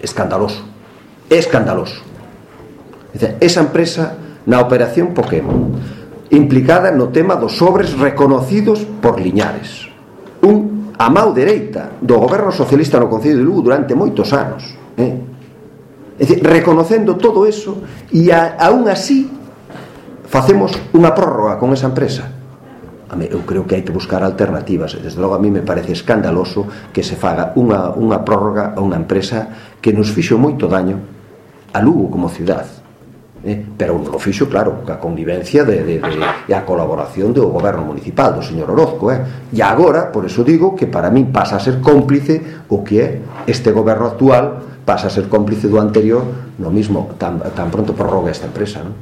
escandaloso, escandaloso. Esa empresa na operación Pokémon, implicada no tema dos sobres reconocidos por Liñares, a mão dereita do goberno socialista no Concello de Lugo durante moitos anos, é dicir, reconocendo todo eso, e aún así facemos unha prórroga con esa empresa. Eu creo que hai que buscar alternativas, e desde logo a mí me parece escandaloso que se faga unha prórroga a unha empresa que nos fixo moito daño a Lugo como cidade, pero non o fixo, claro, coa convivencia e a colaboración do goberno municipal, do señor Orozco, e agora, por eso digo que para min pasa a ser cómplice o que é este goberno actual, pasa a ser cómplice do anterior, no mismo tan pronto prorroga esta empresa, non?